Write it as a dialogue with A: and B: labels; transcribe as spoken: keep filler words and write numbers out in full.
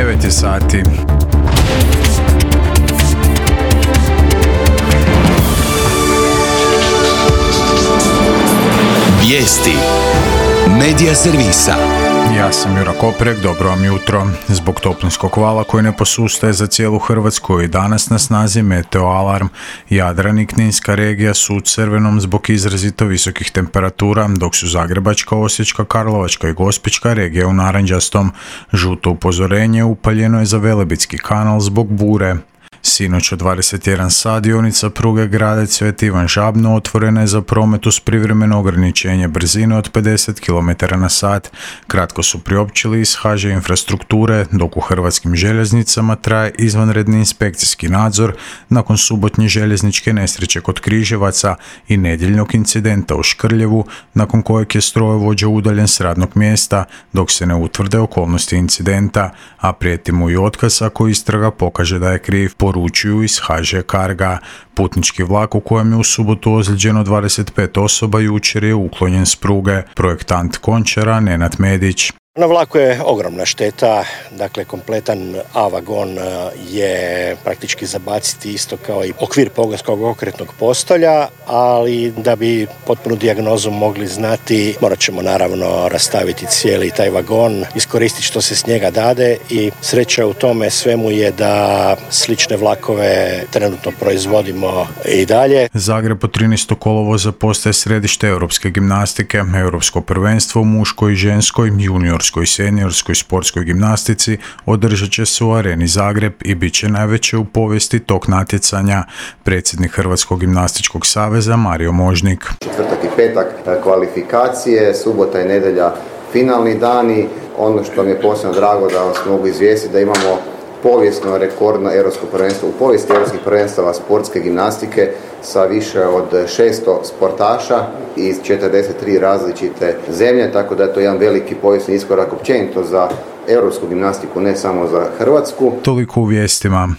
A: devet je sati.
B: Vijesti Medija servisa.
A: Ja sam Jura Koprek, dobro vam jutro. Zbog toplinskog vala koji ne posustaje za cijelu Hrvatsku i danas na snazi meteo alarm. Jadran i Kninska regija su u crvenom zbog izrazito visokih temperatura, dok su Zagrebačka, Osječka, Karlovačka i Gospićka regija u narančastom. Žuto upozorenje upaljeno je za Velebitski kanal zbog bure. Sinoć u dvadeset jedan sat dionica pruge Gradec Sveti Ivan Žabno otvorena je za promet uz privremeno ograničenje brzine od pedeset kilometara na sat. Kratko su priopćili iz H Ž Infrastrukture, dok u Hrvatskim željeznicama traje izvanredni inspekcijski nadzor nakon subotnje željezničke nesreće kod Križevaca i nedjeljnog incidenta u Škrljevu, nakon kojeg je strojovođa udaljen s radnog mjesta dok se ne utvrde okolnosti incidenta, a prijeti mu i otkaz ako istraga pokaže da je kriv, poručuju iz H Ž Carga. Putnički vlak u kojem je u subotu ozlijeđeno dvadeset pet osoba jučer je uklonjen s pruge. Projektant Končara Nenad Medić.
C: Na vlaku je ogromna šteta, dakle kompletan A vagon je praktički zabaciti isto kao i okvir pogonskog okretnog postolja, ali da bi potpunu dijagnozu mogli znati morat ćemo naravno rastaviti cijeli taj vagon, iskoristiti što se s njega dade i sreća u tome svemu je da slične vlakove trenutno proizvodimo i dalje.
A: Zagreb od trinaestog kolovoza postaje središte europske gimnastike. Europsko prvenstvo u muškoj i ženskoj, juniorskoj i seniorskoj sportskoj gimnastici održat će se u Areni Zagreb i bit će najveće u povijesti tog natjecanja. Predsjednik Hrvatskog gimnastičkog saveza Mario Možnik.
D: Četvrtak i petak kvalifikacije, subota i nedjelja finalni dani. Ono što mi je posebno drago da vas mogu izvijestiti da imamo povijesno rekordno europsko prvenstvo u povijesti europskih prvenstava sportske gimnastike sa više od šesto sportaša iz četrdeset tri različite zemlje, tako da je to jedan veliki povijesni iskorak općenito za europsku gimnastiku, ne samo za Hrvatsku.
A: Toliko u vijestima.